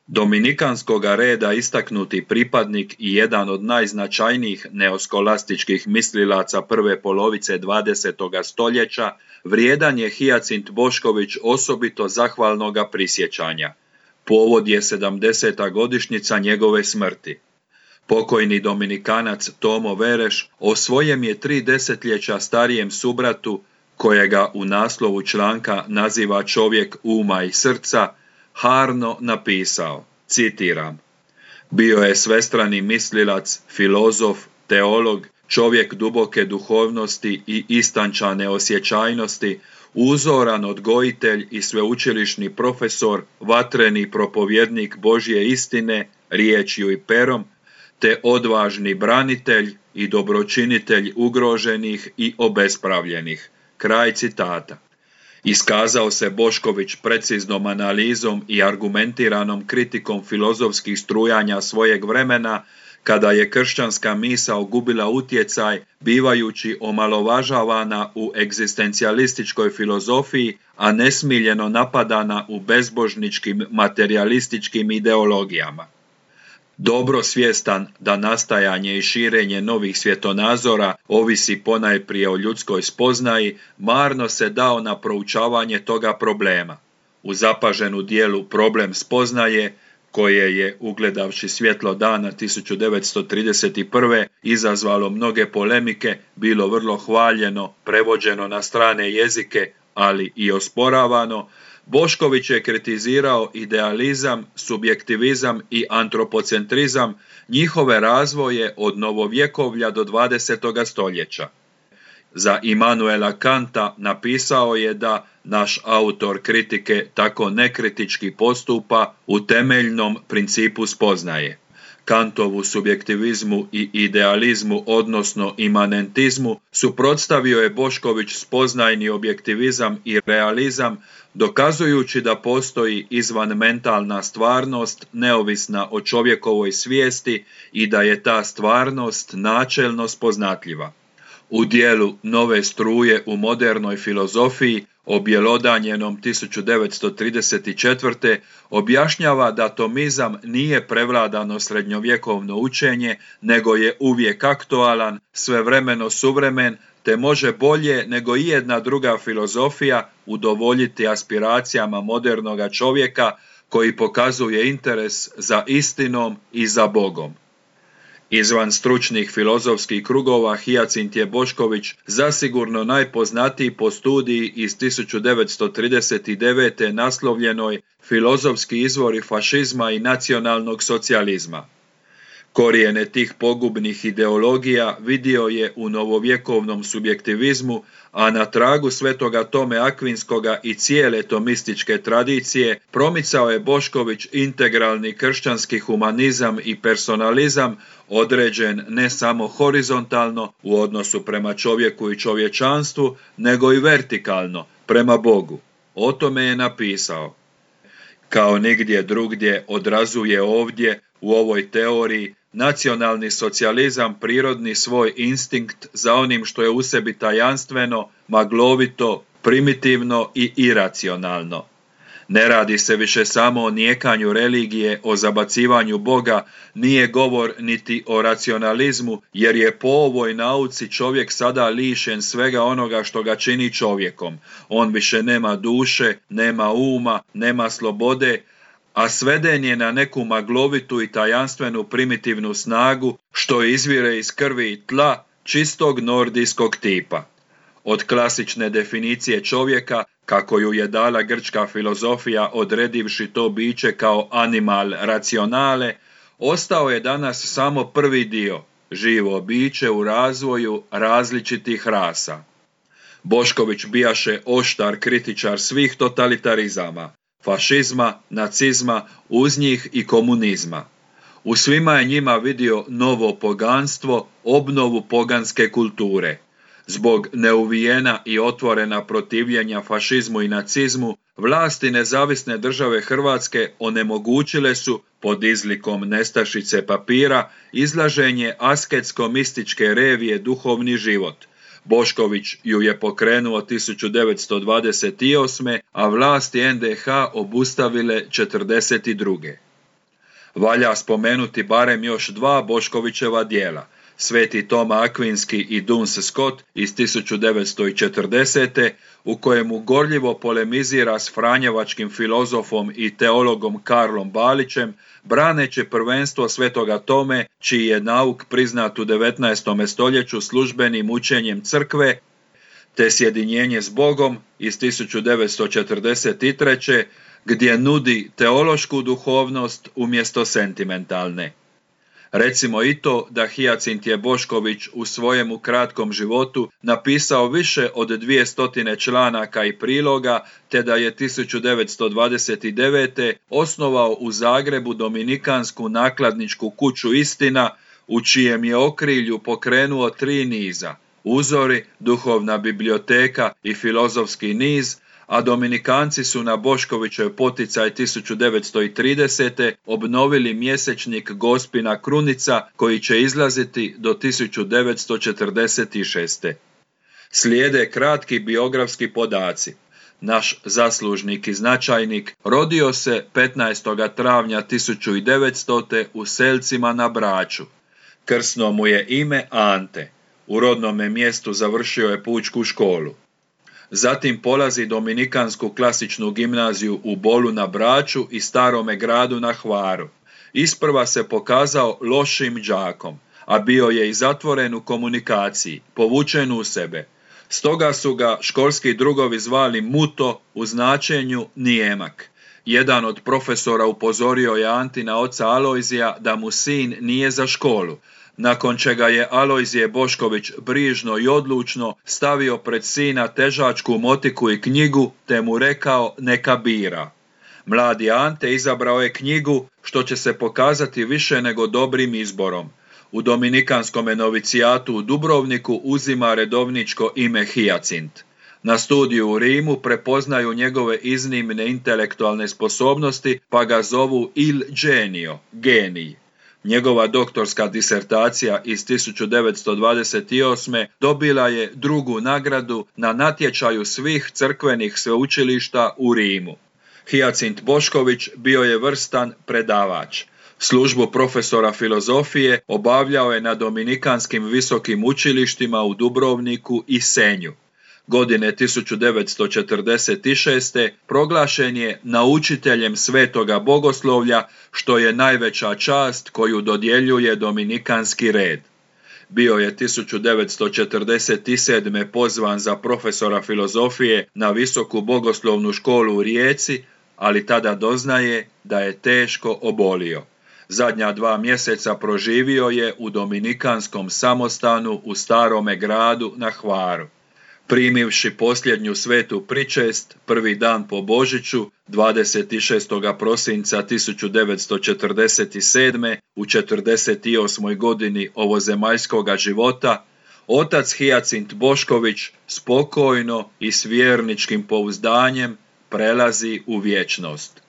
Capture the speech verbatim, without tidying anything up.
Dominikanskog reda istaknuti pripadnik i jedan od najznačajnijih neoskolastičkih mislilaca prve polovice dvadesetoga stoljeća, vrijedan je Hijacint Bošković osobito zahvalnoga prisjećanja. Povod je sedamdeseta godišnjica njegove smrti. Pokojni Dominikanac Tomo Vereš o svojem je tri desetljeća starijem subratu, kojega u naslovu članka naziva čovjek uma i srca, harno napisao, citiram: bio je svestrani mislilac, filozof, teolog, čovjek duboke duhovnosti i istančane osjećajnosti, uzoran odgojitelj i sveučilišni profesor, vatreni propovjednik Božje istine, riječju i perom, te odvažni branitelj i dobročinitelj ugroženih i obespravljenih. Kraj citata. Iskazao se Bošković preciznom analizom i argumentiranom kritikom filozofskih strujanja svojeg vremena, kada je kršćanska misao gubila utjecaj, bivajući omalovažavana u egzistencijalističkoj filozofiji, a nesmiljeno napadana u bezbožničkim materialističkim ideologijama. Dobro svjestan da nastajanje i širenje novih svjetonazora ovisi ponajprije o ljudskoj spoznaji, marno se dao na proučavanje toga problema. U zapaženu dijelu Problem spoznaje, koje je, ugledavši svjetlo dana tisuću devetsto trideset prve izazvalo mnoge polemike, bilo vrlo hvaljeno, prevođeno na strane jezike, ali i osporavano, Bošković je kritizirao idealizam, subjektivizam i antropocentrizam, njihove razvoje od novovjekovlja do dvadesetoga stoljeća. Za Immanuela Kanta napisao je da naš autor kritike tako nekritički postupa u temeljnom principu spoznaje. Kantovu subjektivizmu i idealizmu, odnosno imanentizmu, suprotstavio je Bošković spoznajni objektivizam i realizam, dokazujući da postoji izvanmentalna stvarnost neovisna o čovjekovoj svijesti i da je ta stvarnost načelno spoznatljiva. U dijelu Nove struje u modernoj filozofiji, objelodanjenom tisuću devetsto trideset četvrte objašnjava da tomizam nije prevladano srednjovjekovno učenje, nego je uvijek aktualan, svevremeno suvremen, te može bolje nego i jedna druga filozofija udovoljiti aspiracijama modernoga čovjeka koji pokazuje interes za istinom i za Bogom. Izvan stručnih filozofskih krugova Hijacint je Bošković zasigurno najpoznatiji po studiji iz tisuću devetsto trideset devete naslovljenoj Filozofski izvori fašizma i nacionalnog socijalizma. Korijene tih pogubnih ideologija vidio je u novovjekovnom subjektivizmu, a na tragu svetoga Tome Akvinskoga i cijele tomističke tradicije promicao je Bošković integralni kršćanski humanizam i personalizam, određen ne samo horizontalno u odnosu prema čovjeku i čovječanstvu, nego i vertikalno prema Bogu. O tome je napisao: kao nigdje drugdje odrazuje ovdje u ovoj teoriji nacionalni socijalizam prirodni svoj instinkt za onim što je u sebi tajanstveno, maglovito, primitivno i iracionalno. Ne radi se više samo o nijekanju religije, o zabacivanju Boga, nije govor niti o racionalizmu, jer je po ovoj nauci čovjek sada lišen svega onoga što ga čini čovjekom. On više nema duše, nema uma, nema slobode, a sveden je na neku maglovitu i tajanstvenu primitivnu snagu što izvire iz krvi i tla čistog nordijskog tipa. Od klasične definicije čovjeka, kako ju je dala grčka filozofija odredivši to biće kao animal racionale, ostao je danas samo prvi dio, živo biće u razvoju različitih rasa. Bošković bijaše oštar kritičar svih totalitarizama, fašizma, nacizma, uz njih i komunizma. U svima je njima vidio novo poganstvo, obnovu poganske kulture. Zbog neuvijena i otvorena protivljenja fašizmu i nacizmu, vlasti nezavisne države Hrvatske onemogućile su, pod izlikom nestašice papira, izlaženje asketsko-mističke revije Duhovni život. Bošković ju je pokrenuo tisuću devetsto dvadeset osme, a vlasti en de ha obustavile četrdeset druge. Valja spomenuti barem još dva Boškovićeva djela, Sveti Toma Akvinski i Duns Scott iz tisuću devetsto četrdesete. u kojemu gorljivo polemizira s franjevačkim filozofom i teologom Karlom Balićem, braneći prvenstvo Svetoga Tome, čiji je nauk priznat u devetnaestom stoljeću službenim učenjem crkve, te Sjedinjenje s Bogom iz tisuću devetsto četrdeset treće. gdje nudi teološku duhovnost umjesto sentimentalne. Recimo i to da Hijacintije Bošković u svojemu kratkom životu napisao više od dvije stotine članaka i priloga, te da je tisuću devetsto dvadeset devete. osnovao u Zagrebu Dominikansku nakladničku kuću Istina, u čijem je okrilju pokrenuo tri niza: Uzori, Duhovna biblioteka i Filozofski niz, a Dominikanci su na Boškovićev poticaj tisuću devetsto tridesete. obnovili mjesečnik Gospina Krunica, koji će izlaziti do tisuću devetsto četrdeset šeste. Slijede kratki biografski podaci. Naš zaslužnik i značajnik rodio se petnaestog travnja tisuću devetstote. u Selcima na Braču. Krsno mu je ime Ante. U rodnome mjestu završio je pučku školu. Zatim polazi Dominikansku klasičnu gimnaziju u Bolu na Braču i Starome Gradu na Hvaru. Isprva se pokazao lošim đakom, a bio je i zatvoren u komunikaciji, povučen u sebe. Stoga su ga školski drugovi zvali Muto, u značenju nijemak. Jedan od profesora upozorio je Antina oca Alojzija da mu sin nije za školu, nakon čega je Alojzije Bošković brižno i odlučno stavio pred sina težačku motiku i knjigu, te mu rekao neka bira. Mladi Ante izabrao je knjigu, što će se pokazati više nego dobrim izborom. U Dominikanskom novicijatu u Dubrovniku uzima redovničko ime Hijacint. Na studiju u Rimu prepoznaju njegove iznimne intelektualne sposobnosti, pa ga zovu Il Genio, genij. Njegova doktorska disertacija iz tisuću devetsto dvadeset osme. dobila je drugu nagradu na natječaju svih crkvenih sveučilišta u Rimu. Hijacint Bošković bio je vrstan predavač. Službu profesora filozofije obavljao je na Dominikanskim visokim učilištima u Dubrovniku i Senju. Godine tisuću devetsto četrdeset šeste. proglašen je naučiteljem svetoga bogoslovlja, što je najveća čast koju dodjeljuje Dominikanski red. Bio je tisuću devetsto četrdeset sedme. pozvan za profesora filozofije na Visoku bogoslovnu školu u Rijeci, ali tada doznaje da je teško obolio. Zadnja dva mjeseca proživio je u Dominikanskom samostanu u Starome Gradu na Hvaru. Primivši posljednju svetu pričest, prvi dan po Božiću, dvadeset šestog prosinca tisuću devetsto četrdeset sedme. u četrdeset osmoj godini ovozemaljskoga života, otac Hijacint Bošković spokojno i s vjerničkim pouzdanjem prelazi u vječnost.